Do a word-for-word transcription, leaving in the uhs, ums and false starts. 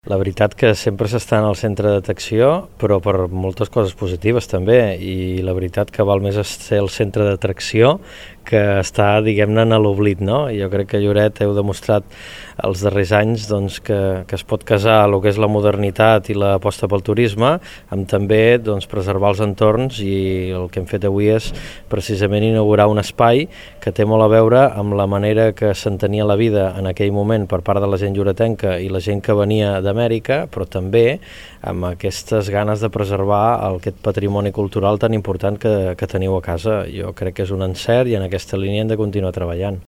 La veritat que sempre s'està en el centre d'atracció, però per moltes coses positives també, i la veritat que val més ser el centre d'atracció que està, diguem-ne, en l'oblit, no? Jo crec que Lloret heu demostrat els darrers anys doncs, que, que es pot casar el que és la modernitat i l'aposta pel turisme amb també doncs, preservar els entorns, i el que hem fet avui és precisament inaugurar un espai que té molt a veure amb la manera que s'entenia la vida en aquell moment per part de la gent lloretenca i la gent que venia d'Amèrica, però també amb aquestes ganes de preservar aquest patrimoni cultural tan important que, que teniu a casa. Jo crec que és un encert i en aquesta línia hem de continuar treballant.